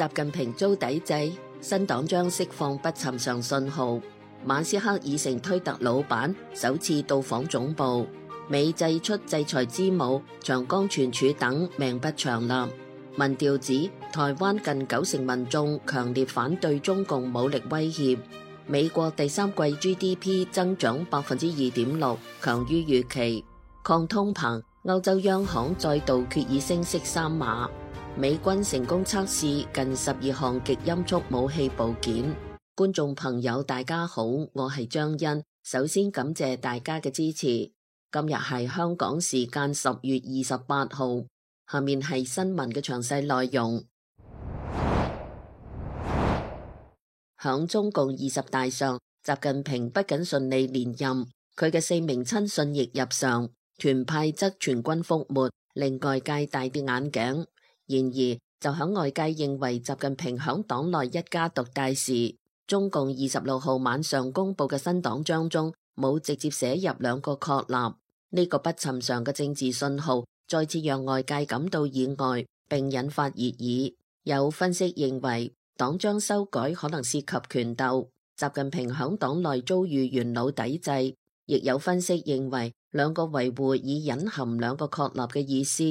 習近平遭抵制，新黨章釋放不尋常信號。馬斯克已成推特老闆，首次到訪總部。美祭出制裁之母，長江存儲等命不長立。民調指台灣近90%民眾強烈反對中共武力威脅。美國第三季 GDP 增長2.6%，強於預期。抗通膨，歐洲央行再度決議升息3碼。美軍成功測試近12項極音速武器部件。觀眾朋友大家好，我係張欣，首先感謝大家嘅支持。今日係香港時間10月28號，下面係新聞嘅詳細內容。響中共20大上，習近平不僅順利連任，佢嘅4名親信亦入常，團派則全軍覆沒，令外界大跌眼鏡。然而，就響外界認為習近平響黨內一家獨大時，中共26號晚上公布嘅新黨章中冇直接寫入2個確立，呢個不尋常嘅政治信號再次讓外界感到意外，並引發熱議。有分析認為，黨章修改可能涉及權鬥，習近平響黨內遭遇元老抵制，亦有分析認為2個維護已隱含2個確立嘅意思，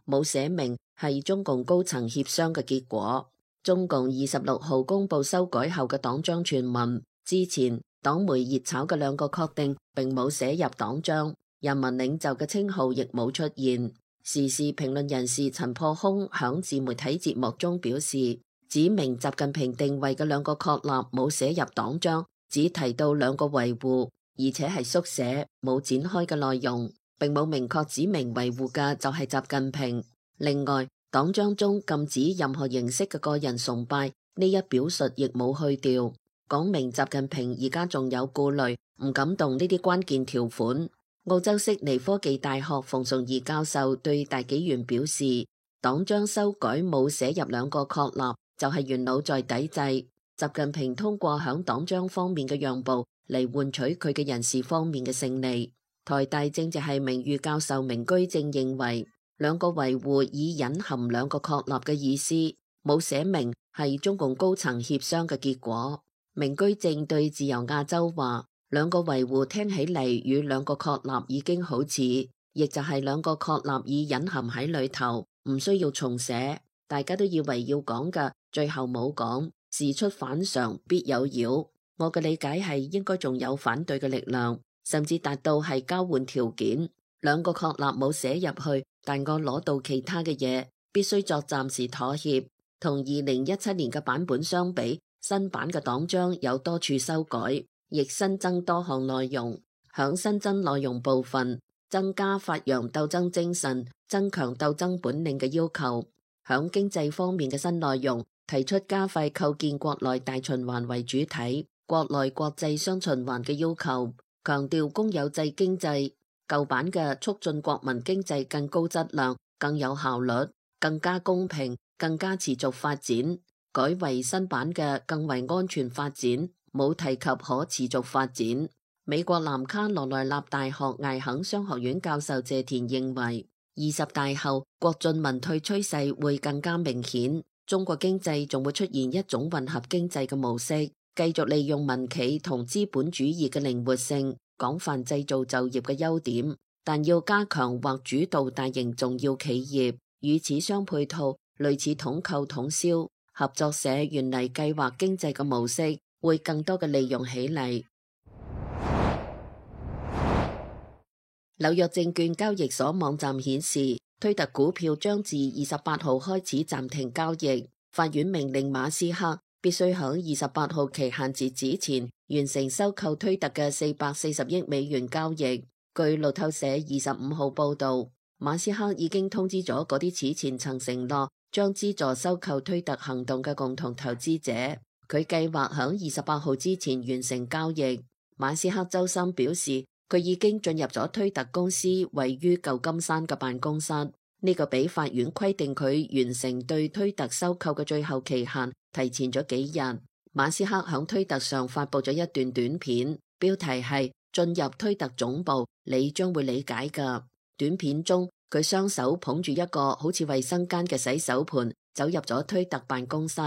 冇寫明係中共高層協商嘅結果。中共26號公布修改後嘅黨章全文，之前黨媒熱炒嘅2個確定並冇寫入黨章，人民領袖嘅稱號亦冇出現。時事評論人士陳破空響自媒體節目中表示，指明習近平定位嘅2個確立冇寫入黨章，只提到2個維護，而且係縮寫，冇展開嘅內容，並冇明確指明維護嘅就係習近平。另外，黨章中禁止任何形式嘅個人崇拜，呢一表述亦冇去掉，講明習近平而家仲有顧慮，唔敢動呢啲關鍵條款。澳洲悉尼科技大學馮崇義教授對大紀元表示，黨章修改冇寫入2個確立，就係元老在抵制。習近平通過響黨章方面嘅讓步嚟換取佢嘅人事方面嘅勝利。台大政治系名譽教授明居正認為，2個維護已隱含2個確立嘅意思，冇寫明係中共高層協商嘅結果。明居正對自由亞洲話，2個維護聽起嚟與2個確立已經好似，亦就係2個確立已隱含喺裏頭，唔需要重寫。大家都以為要講嘅，最後冇講，事出反常必有妖。我嘅理解係應該仲有反對嘅力量，甚至達到係交換條件。2個確立冇寫入去，但我攞到其他嘅嘢，必須作暫時妥協。同2017年嘅版本相比，新版嘅黨章有多處修改，亦新增多項內容。響新增內容部分，增加發揚鬥爭精神、增強鬥爭本領嘅要求。響經濟方面嘅新內容，提出加快構建國內大循環為主體、國內國際雙循環嘅要求，強調公有制經濟。舊版嘅促進國民經濟更高質量、更有效率、更加公平、更加持續發展，改為新版嘅更為安全發展，冇提及可持續發展。美國南卡羅來納大學艾肯商學院教授謝田認為，20大後國進民退趨勢會更加明顯，中國經濟仲會出現一種混合經濟嘅模式，繼續利用民企同資本主義嘅靈活性，廣泛製造就業嘅優點，但要加強或主導大型重要企業，與此相配套，類似統購統銷、合作社原嚟計劃經濟嘅模式，會更多嘅利用起嚟。紐約證券交易所網站顯示，推特股票將自28號開始暫停交易，法院命令馬斯克必須喺28號期限截止前完成收購推特嘅440億美元交易。據路透社25號報道，馬斯克已經通知咗嗰啲此前曾承諾將資助收購推特行動嘅共同投資者，佢計劃喺28號之前完成交易。馬斯克周三表示，佢已經進入咗推特公司位於舊金山嘅辦公室，呢個比法院規定佢完成對推特收購嘅最後期限提前咗幾日。馬斯克響推特上發佈咗一段短片，標題係進入推特總部，你將會理解㗎。短片中，佢雙手捧住一個好似衛生間嘅洗手盆，走入咗推特辦公室。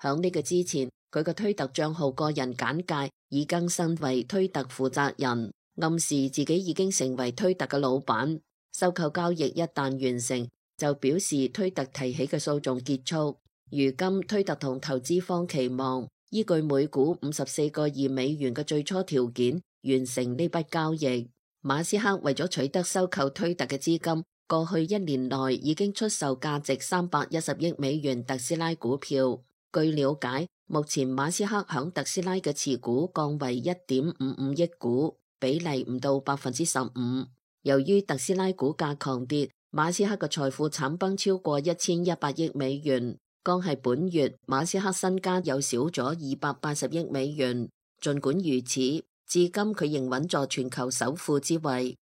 響呢個之前，佢嘅推特賬號個人簡介已更新為推特負責人，暗示自己已經成為推特嘅老闆。收購交易一旦完成，就表示推特提起嘅訴訟結束。如今推特同投資方期望依據每股$54.2嘅最初條件完成呢筆交易。馬斯克為咗取得收購推特嘅資金，過去1年內已經出售價值$310億特斯拉股票。據了解，目前馬斯克響特斯拉嘅持股降為1.55億股，比例唔到15%。由於特斯拉股價狂跌，馬斯克嘅財富慘崩超過1100億美元。剛係本月，馬斯克身家又少咗280億美元。盡管如此，至今佢仍穩坐全球首富之位。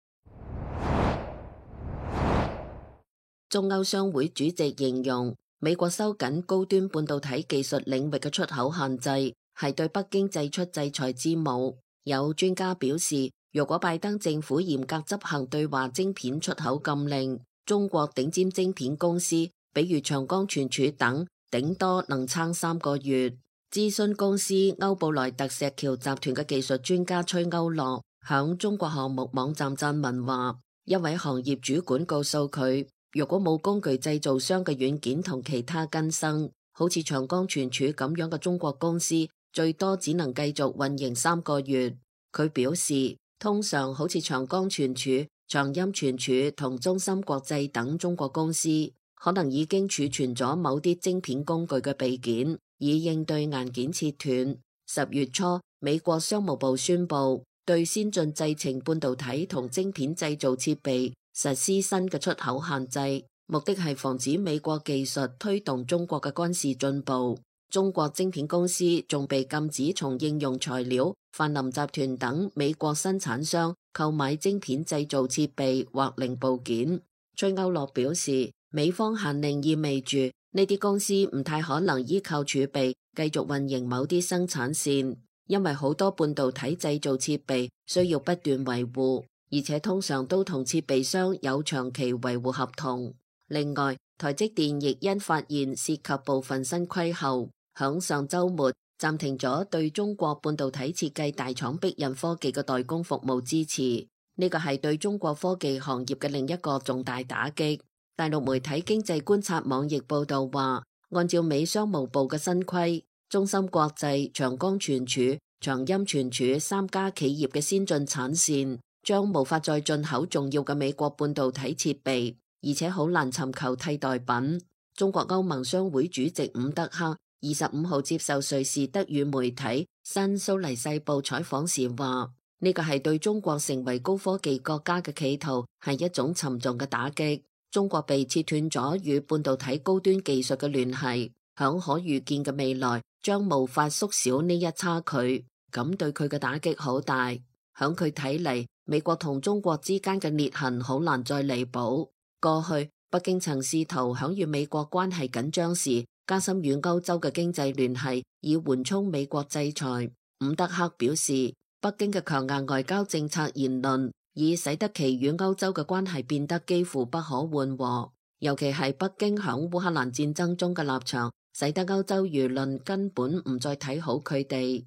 中歐商會主席形容，美國收緊高端半導體技術領域嘅出口限制，係對北京祭出制裁之舞。有專家表示，如果拜登政府嚴格執行對華晶片出口禁令，中國頂尖晶片公司，比如長江存儲等，頂多能撐3個月。諮詢公司歐布萊特石橋集團嘅技術專家崔歐樂響中國項目網站撰文話，一位行業主管告訴佢，如果冇工具製造商嘅軟件同其他更新，好似長江存儲咁樣嘅中國公司，最多只能繼續運營3個月。佢表示，通常好似長江存儲、長鑫存儲同中芯國際等中國公司，可能已經儲存咗某啲晶片工具嘅備件，以應對硬件切斷。10月初，美國商務部宣布對先進製程半導體同晶片製造設備實施新嘅出口限制，目的係防止美國技術推動中國嘅軍事進步。中國晶片公司仲被禁止從應用材料、泛林集團等美國生產商購買晶片製造設備或零部件。崔歐樂表示，美方限令意味住呢啲公司唔太可能依靠儲備繼續運營某啲生產線，因為好多半導體製造設備需要不斷維護，而且通常都同設備商有長期維護合同。另外，台積電亦因發現涉及部分新規後，響上週末暫停咗對中國半導體設計大廠必印科技嘅代工服務支持。呢個係對中國科技行業嘅另一個重大打擊。大陸媒體經濟觀察網亦報道話，按照美商務部嘅新規，中芯國際、長江存儲、長鑫存儲3家企業嘅先進產線將無法再進口重要嘅美國半導體設備，而且好難尋求替代品。中國歐盟商會主席伍德克25號接受瑞士德語媒體新蘇黎世報採訪時話，呢個係對中國成為高科技國家嘅企圖，係一種沉重嘅打擊。中國被切斷咗與半導體高端技術嘅聯繫，響可預見嘅未來將無法縮小呢一差距，咁對佢嘅打擊好大。響佢睇嚟，美國同中國之間嘅裂痕好難再彌補。過去北京曾試圖響與美國關係緊張時加深與歐洲嘅經濟聯繫，以緩衝美國制裁。伍德克表示，北京嘅強硬外交政策言論已使得其與歐洲嘅關係變得幾乎不可緩和，尤其係北京響烏克蘭戰爭中嘅立場，使得歐洲輿論根本唔再睇好佢哋。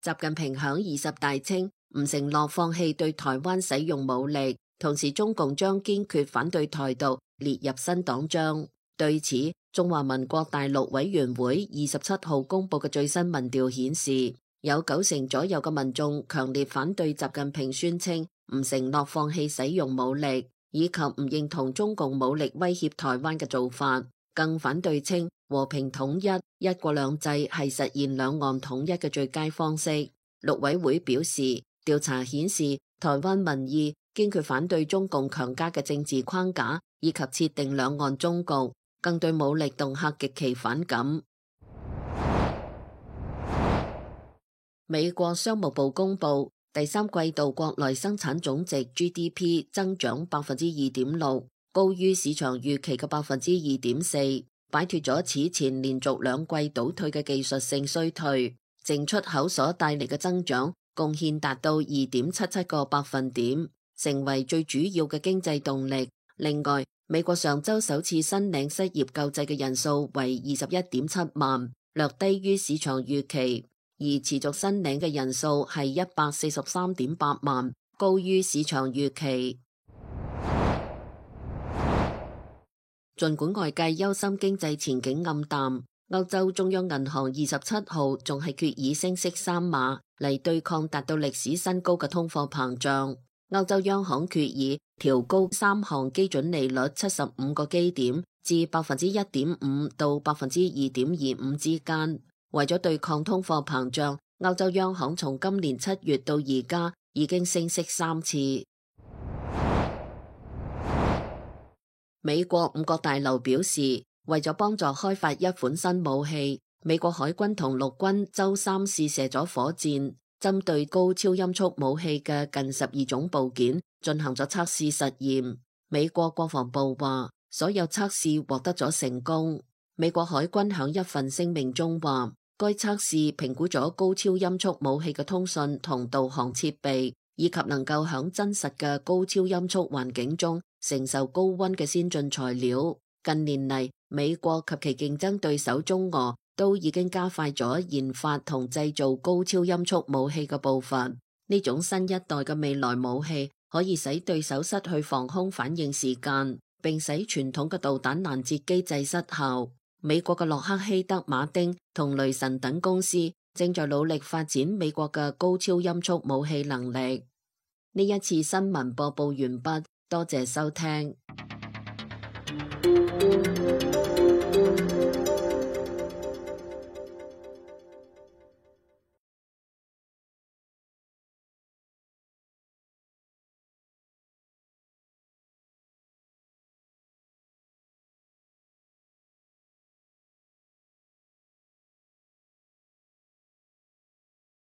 習近平響20大稱唔承諾放棄對台灣使用武力，同時中共將堅決反對台獨列入新黨章。對此，中華民國大陸委員會27號公布嘅最新民調顯示，有90%左右嘅民眾強烈反對習近平宣稱唔承諾放棄使用武力，以及唔認同中共武力威脅台灣嘅做法，更反對稱和平統一、一國兩制係實現兩岸統一嘅最佳方式。陸委會表示，調查顯示台灣民意堅決反對中共強加嘅政治框架，以及設定兩岸終局，更對武力恫嚇極其反感。美國商務部公布第三季度國內生產總值 GDP 增長2.6%，高於市場預期嘅2.4%，擺脫咗此前連續2季倒退嘅技術性衰退，淨出口所帶嚟嘅增長貢獻達到2.77個百分點，成為最主要嘅經濟動力。另外，美國上週首次申領失業救濟嘅人數為21.7萬，略低於市場預期，而持續申領嘅人數係143.8萬，高於市場預期。儘管外界憂心經濟前景暗淡，歐洲中央銀行27號仲係決議升息3碼嚟對抗達到歷史新高嘅通貨膨脹。歐洲央行決議調高3項基準利率75個基點至1.5%到2.25%之間。為咗對抗通貨膨脹，歐洲央行從今年7月到而家已經升息3次。美國五角大樓表示，為咗幫助開發一款新武器，美國海軍同陸軍周三試射咗火箭，針對高超音速武器嘅近12種部件進行咗測試實驗。美國國防部話，所有測試獲得咗成功。美國海軍響一份聲明中話，該測試評估咗高超音速武器嘅通訊同導航設備，以及能夠響真實嘅高超音速環境中承受高溫嘅先進材料。近年嚟，美國及其競爭對手中俄都已經加快咗研發同製造高超音速武器嘅步伐。呢種新一代嘅未來武器可以使對手失去防空反應時間，並使傳統嘅導彈攔截機制失效。美國嘅洛克希德馬丁同雷神等公司正在努力發展美國嘅高超音速武器能力。呢一次新聞播報完畢，多謝收聽。